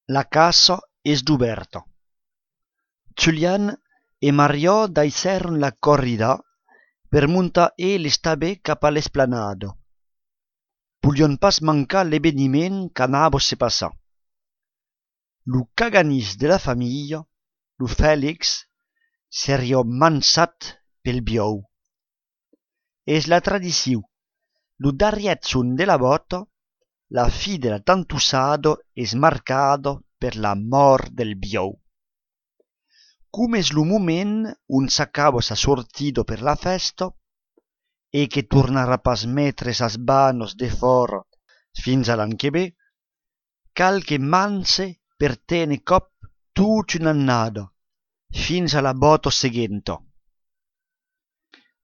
La casa és d'oberta. Julian e Mario deixèron la corrida per muntar l'estabè cap a l'esplanada. Volion pas mancar l'esveniment qu'anava se passar. Lo caganís de la família, lo Félix, seria mansat pel biau. És la tradició. Lo darriètzon de la bota, la fi de la tantussada és marcada per la mort del biau. Com és lo moment on s'acaba sa sortida per la festa e que tornarà pas metre sas banos de fora fins a l'an que ve, cal que manse per tene cop tutta un'annada, fins a la bota seguenta.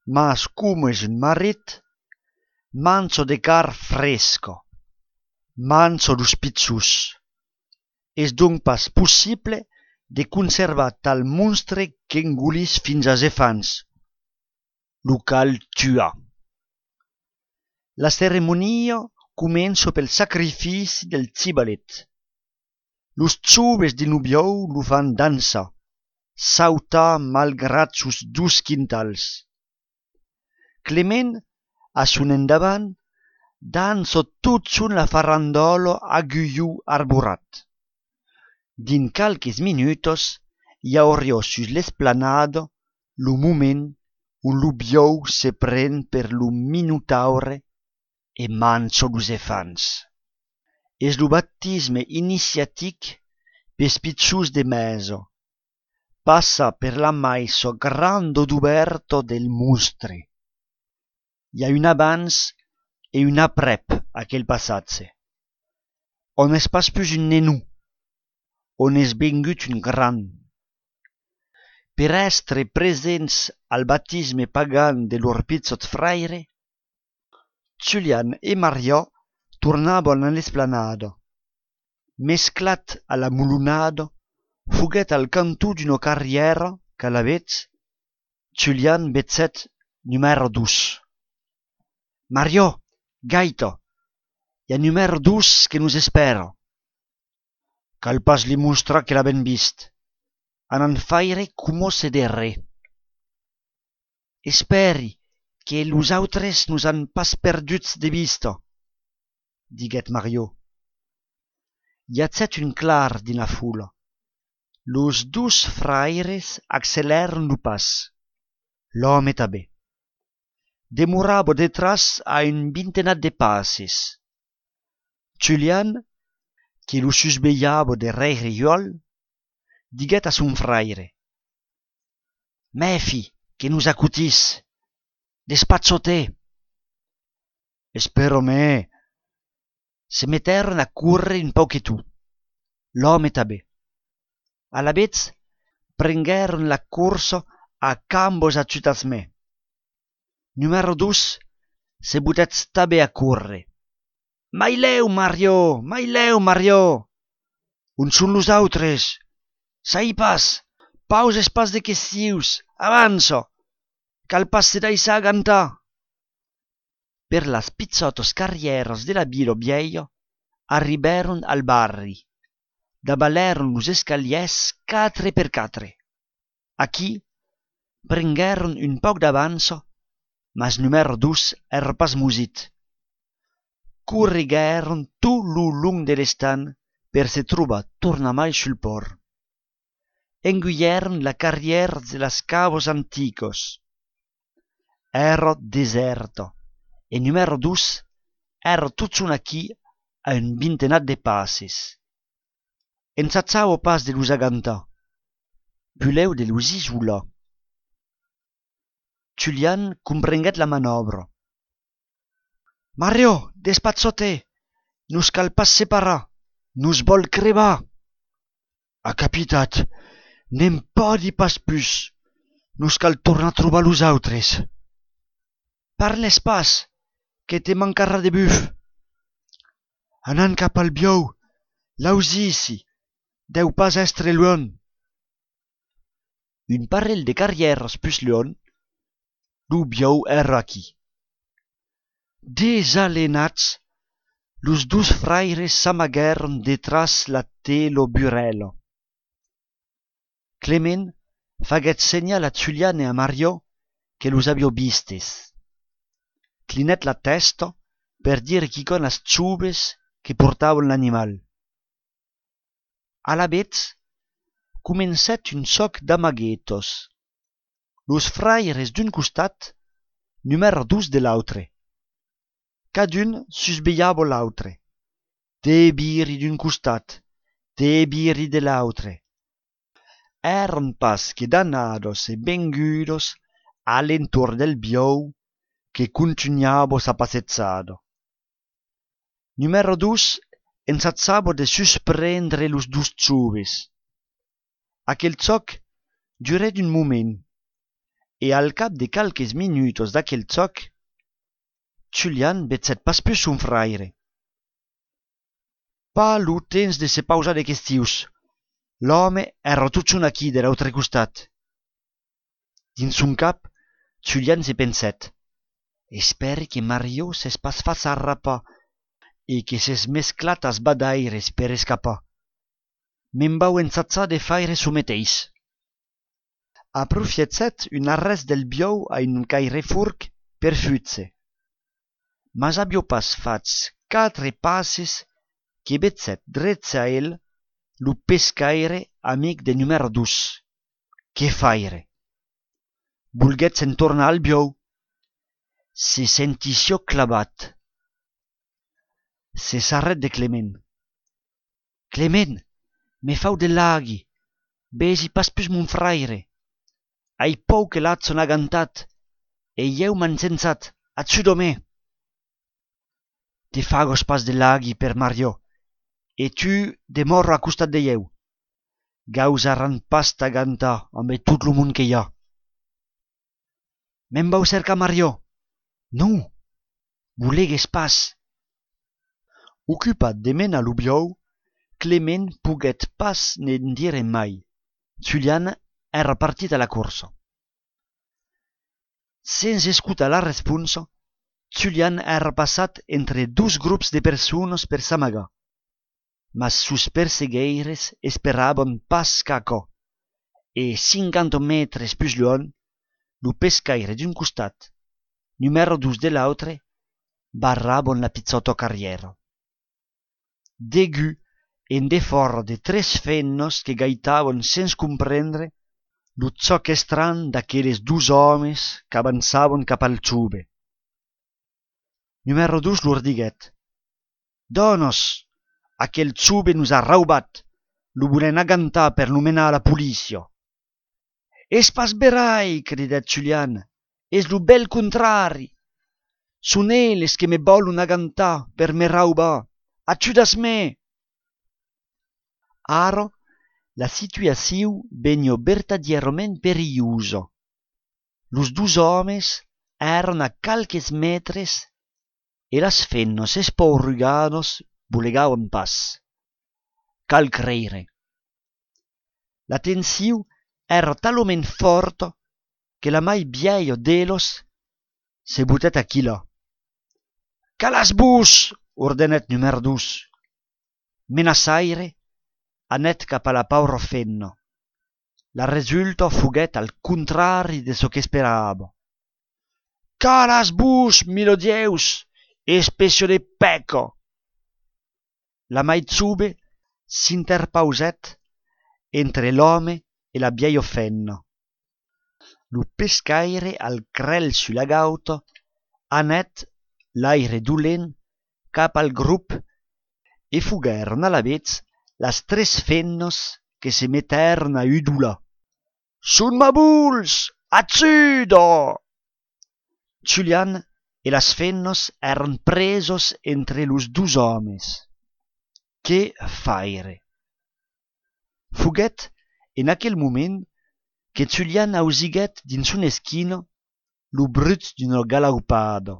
Mas com és un marit, manso de car fresca, manso dos pizzos. És donc pas possible de conservar tal monstre qu'engolís fins a zefans. Lo cal tuar. La ceremonia comença pel sacrifici del cibalet. Los joves de nubiau lo fan dansa, sautar malgrat sus 2 quintals. Clement, a son endavant, dansa tot son la farandola a guiu arborat. Din calques minutos hi hauria sus l'esplanada lo moment on lo biau se pren per lo minotaure e mansa los efants. És lo baptisme iniciatic pes pizzos de mesa. Passa per la maissa granda d'oberta del monstre. Hi ha un abans e un aprèp aquel passatge. On és pas plus un nenou, on és vengut un gran. Per estre presents al baptisme pagan de lor pizzot fraire, Julian e Maria tornaven a l'esplanada. Mesclat a la mulonada, foguet al cantó d'una carriera qu'à la vez, Julian betzet numero 2. Mario, gaita, hi ha numero 2 que nos espera. Cal pas li mostrar que l'ha ben vist. Anan faire como se derre. Esperi que los autres nos han pas perduts de vista, diguet Mario. Hi ha un clar din la fula. Los 2 fraires acceleran lo pas. L'home també. Demorava detras a un vintenat de passes. Julian, que lo susbeiava de reiriol, diguet a son fraire. Mefi, que nos acutís. Despazzote. Espero me. Se metteron a curre un pochetu. L'home també. A la vez prengueron la corsa a cambos aciutats me. Numero 2 se butet també a curre. Mai leu, Mario! On són los autres? Sai pas, pauses pas de questius, avança, cal pas se deixar agantar. Per las pizzotos carrieras de la vila vieja arriberon al barri. Dabaleron los escaliers 4x4. Aquí prengueron un poc d'avança, mas numero 2 era pas musit. Corrigueron tot lo long de l'estan per se trobar tornamai sul port. Enguieron la carriera de las cavos anticos. Era deserta e numero 2 era tot son aquí a un vintenat de passes. Ensatzava pas de los agantar. Vuleu de los isolar. Julian comprenguet la manobra. Mario, despazzote! Nos cal pas separar. Nos vol crevar. A capitat, n'hem podi pas plus. Nos cal tornar a trobar los autres. Parles pas, que te mancarà de buf. Anant cap al biau, l'ausici, deu pas estre luon. Un parell de carrieres plus luon, lo biau era aquí. Desalenats, Los dus fraires s'amaguèron detras la telo burelo. Clement faguèt senyal a Julian e a Mario que los aviò vistes. Clinèt la testa per dire quicon as ciubes que portavan l'animal. Alavetz comencèt un soc d'amaguetos. Los fraires d'un costat, numèro 2 de l'autre. Cadun susbeiava l'autre. De biri d'un costat, de biri de l'autre. Eran pas que danados e bengudos a l'entorn del biou que continuava sa passezzada. Numero 2 ensazzava de susprendre los dus ciubes. Aquel zoc duret un moment, e al cap de calques minutos d'aquel zoc, Julian betzèt pas plus son fraire. Pa lo temps de se pausar de questius. L'home era tutun aquí de l'autre costat. Dins son cap, Julian se pensèt: espère que Mario s'es pas fas arrapar e que s'es mesclat as badaires per escapar. Me'n vau ensatzar de faire so meteis. Aprofiètzèt un arrest del biou a un cairefurc per futse. Mas aviò pas fats 4 passes que betzèt drets a el lo pescaire amic de numero 2. Que faire? Volguèt se'n tornar al biou. Se sentissió clavat. Se s'arrèt de Clement. Clement, me fau de laghi. Besi pas plus mon fraire. Ai pou que l'at son agantat, e jeu m'han sensat, atsu domè. Te fagos pas de laghi per Mario, e tu de morro a costat de jeu. Gausaran pas t'agantar amb tot lo món que hi ha. Me'n vau cercar Mario. Non, volegues pas. Ocupat de menar lo biou, Clement poguèt pas n'en dire mai. Julian era partit a la corsa. Sens escutar la responsa, Julian era passat entre 2 grups de persones per s'amagar. Mas sus persegueires esperaban pas qu'aquò, e 50 metres plus luon, lo pescaire d'un costat, numero 2 de l'autre, barraban la pizzota carriera. Degu en defòra de 3 fennos que gaitavan sens comprendre lo zoc estran d'aquelles 2 homes qu'avançavan cap al ciube. Numero 2 lor diguèt: «Donos, aquel ciube nos ha raubat, lo volen agantar per lo menar a la policia». «Es pas berai», cridèt Julian, «es lo bel contrari. Son elles que me volon agantar per me raubar. Ajudas-me!» Ara, la situacion vegna vertadierament periusa. Los 2 homes eran a calques metres e las fennas espaurugadas volegavan pas. Cal creire. La tensiun era talament forta que la mai vieia d'ellos se butèt a quila. «Calas-vos!» ordenèt numero 2. Menaçaire anèt cap a la paura fenna. La resulta foguèt al contrari de çò qu'esperava. «Calas-vos, milodieus, especio de peca!» La maitzoube s'interpausèt entre l'home e la vieia fenna. Lo pescaire al crèl sulla gauta anèt l'aire dolent cap al grup e foguèron alavetz las 3 fennas que se mettèron a udolar. «Son mabuls! Atsuda!» Julian e las fennas eran presos entre los 2 homes. Que faire? Foguèt en aquel moment que Julian ausiguèt dins una esquina lo brut d'una galaupada.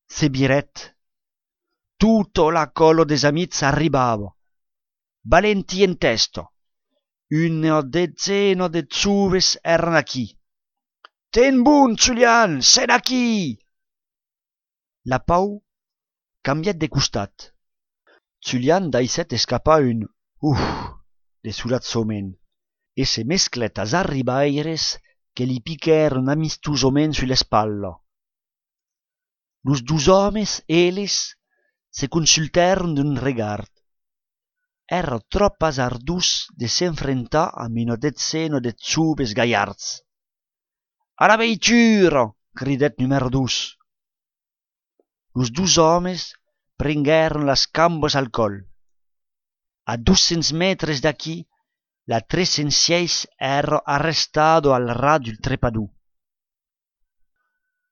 Se birèt. Tota la cola des amics arribava. Valenti en testa. Una detzena de ciubes eran aquí. «Ten bon, Julian, sen aquí!» La pau cambièt de costat. Julian daisset escapar un de solat soment e se mesclet as arribaires que li piquèron amistosament sul espalla. Los dus homes, eles, se consultèron d'un regard. Era trop hasardós de s'enfrentar amb una detzena de joves gaillards. «A la veitura!» cridèt numèro 2. Los dus homes prenguèron las cambas al col. A 200 metres d'aquí, la 306 era arrestado al ras del trepador.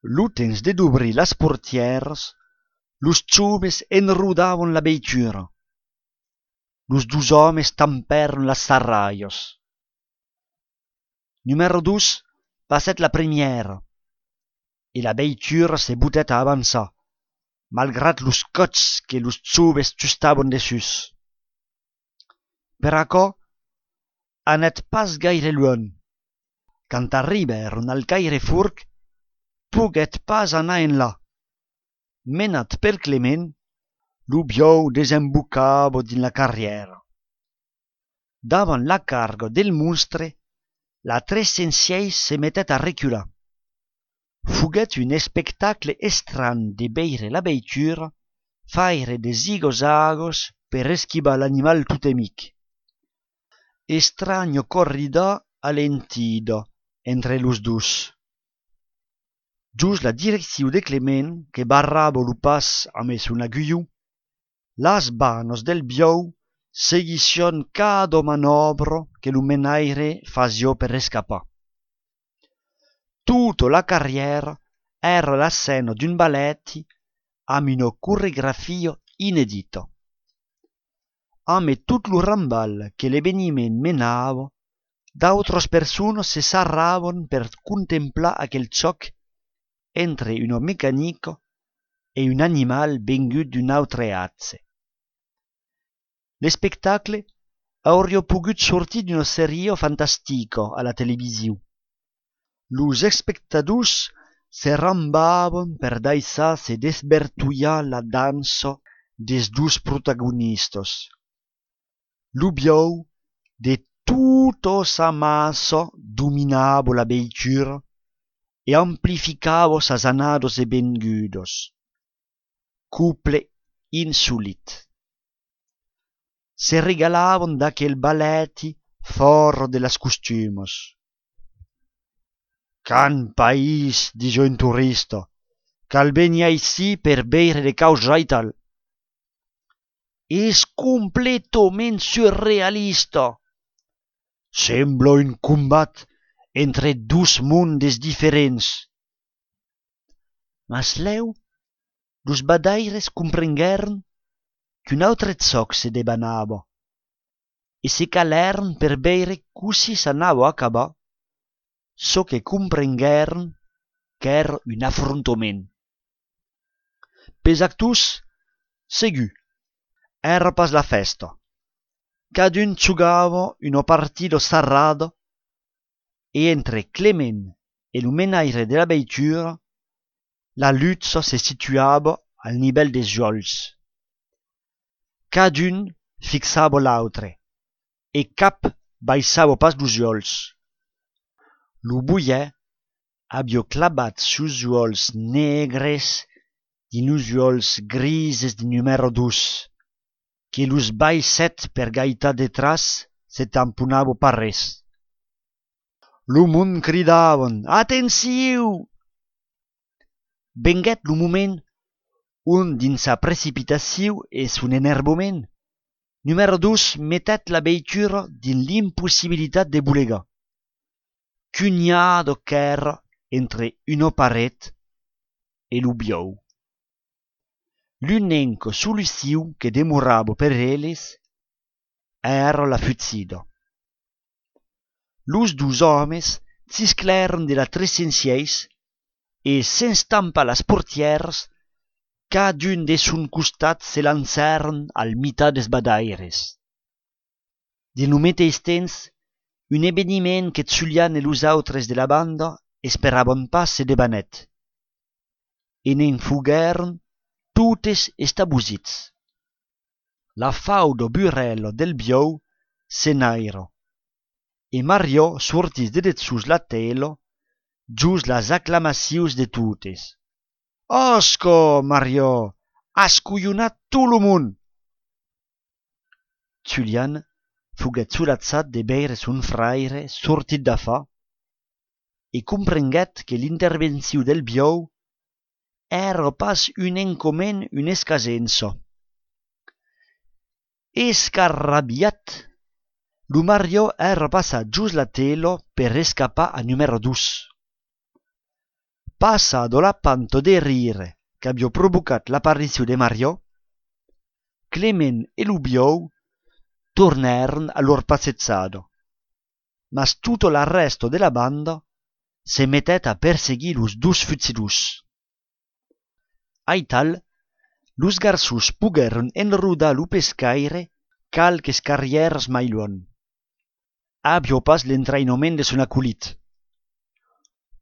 L'utens de d'obrir las portieres, los joves enrodaven la veitura. Los dus homes tampèron las sarraios. Numèro 2 passèt la primièra, e la veitura se botèt a avançar, malgrat los cots que los joves justaven dessus. Per aquò, anèt pas gaire luon. Quand arribèron al Cairefurc, poguèt pas anar enlà. Menat per Clement, lo biau desembocava din la carrièra. Davant la carga del monstre, la 306 se metèt a recular. Foguèt un espectacle estrany de veire la veitura faire de zigozagos per esquivar l'animal totemic. Estranyo corrida alentida entre los dos. Just la direcció de Clement, que barrava lo pas amb son agulló, las manos del biau seguission cada manobra que lo menaire fasió per escapar. Tutta la carriera era la scena d'un ballet amb una coreografia inedita. Amb tot lo rambal que l'esveniment menava, d'autres persones se sarraven per contemplar aquel xoc entre una mecànica e un animal vengut d'un altre atze. L'espectacle hauria pogut sortir d'una sèrie fantastica a la televisió. Los espectadors se rambaven per daissar se desvertuillar la dansa des dos protagonistes. Lo biau, de tota sa massa, dominava la veitura e amplificava sas anades e vengudes. Couple insolit. Se regalaven d'aquel ballet fora de las costumes. «Can país», dijo un turista, «cal venia ici per veure de causa i tal». «És completament surrealista. Sembla un combat entre dos mondes diferents». Mas lèu, los badaires comprenguèron qu'un autre xoc se debanava e se calèron per veure cossi s'anava a acabar, çò que comprenguèron qu'èra un afrontament. Pes actors, segur, era pas la festa. Cadun jugava una partida sarrada e entre Clement e lo menaire de la veitura, la lutte se situava al nivell des jols. Cadun fixava l'autre e cap baissava pas los jols. Lo boier havia clavat sus jols negres din los jols grises de numèro 2, que los baissèt per gaitar detras se tamponava pas res. Lo mond cridaven «Atensiu!». Venguèt lo moment on, dins sa precipitació e son enervament, numèro 2 metèt la veitura din l'impossibilitat de bolegar. Cunhada qu'èra entre una paret e lo biau. L'unica solució que demorava per eles era la futzida. Los dos homes s'isclèron de la 306 e sense tampar las portieres, cadun de son costat se lancèron al mitat des badaires. Din lo mateix temps, un eveniment que Julian e los autres de la banda esperaven pas se debanèt. E n'en foguèron totes estabusits. La faudo burello del biou se nairo, e Mario sortis de detsus la telo, gius las acclamacions de totes. «Osco, Mario, has cuionat tot lo mond!» Julian fuguet solazzat de veire son fraire sortit d'afa e comprenguet que l'intervenció del biou era pas un encomen un escasenso. Escarrabiat, lo Mario era passat just la telo per escapar a numero 2. Passado la panto de rire qu'abbia provocat l'apparició de Mario, Clement e lo biou tornaron a lor passezzado, mas tutto l'arresto de la banda se mettet a perseguir los dus fuzzidus. Aital, los garçons poguèron enrodar lo pescaire calques carrières mai luon. Abbia pas l'entrainament de son aculit.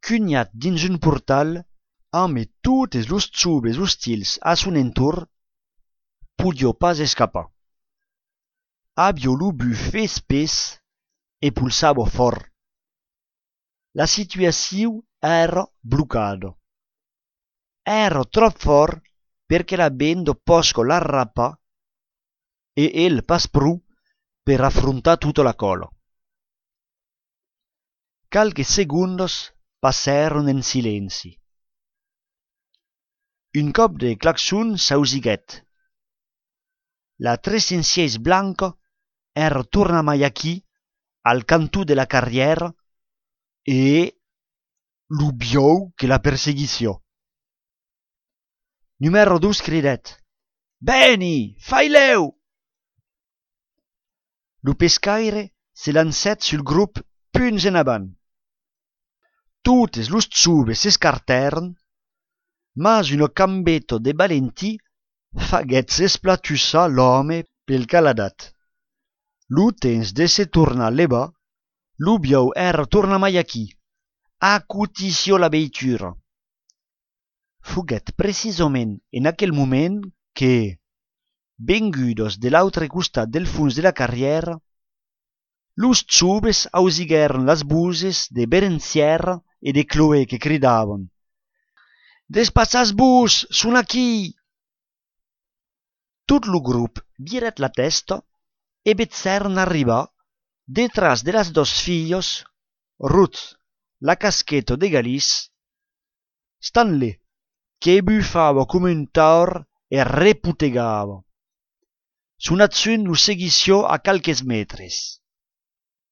Cugnat dins un portal, amb totes los zubes ostils a son entorn, podia pas escapar. Abbia lo bu fes pes e pulsava fort. La situació era blocada. Era trop fort perché la bendo posco l'arrapa e el pas pru per affrontar tutta la cola. Calques segundos passaron en silenci. Un cop de claxon s'ausiguet. La 306 blanca era torna mai aquí, al cantó de la carriera, e lo biou que la perseguició. Numero 2 cridet: «Beni, fai-leu!» Lo pescaire se lancèt sul grup punts en avant. Totes los zubes s'escartèron, mas una cambeto de valentí faguèt s'esplatussar l'home pel caladat. Lo temps de se tornar leva, lo biou era torna mai aquí, acutició la veitura. Fuguet precisament en aquel moment que, vengudos de l'autre costat del fons de la carriera, los zubes ausiguèron las buses de Berencière e de Chloé que cridavan: «Despassatz-vos, son aquí!» Tot lo grup viret la testa e vezzèron arribar, detras de las dos filhos, Ruth, la caschetto de Galice, Stanley, che buffava come un taur e reputegava. Son azione lo seguició a calques metres.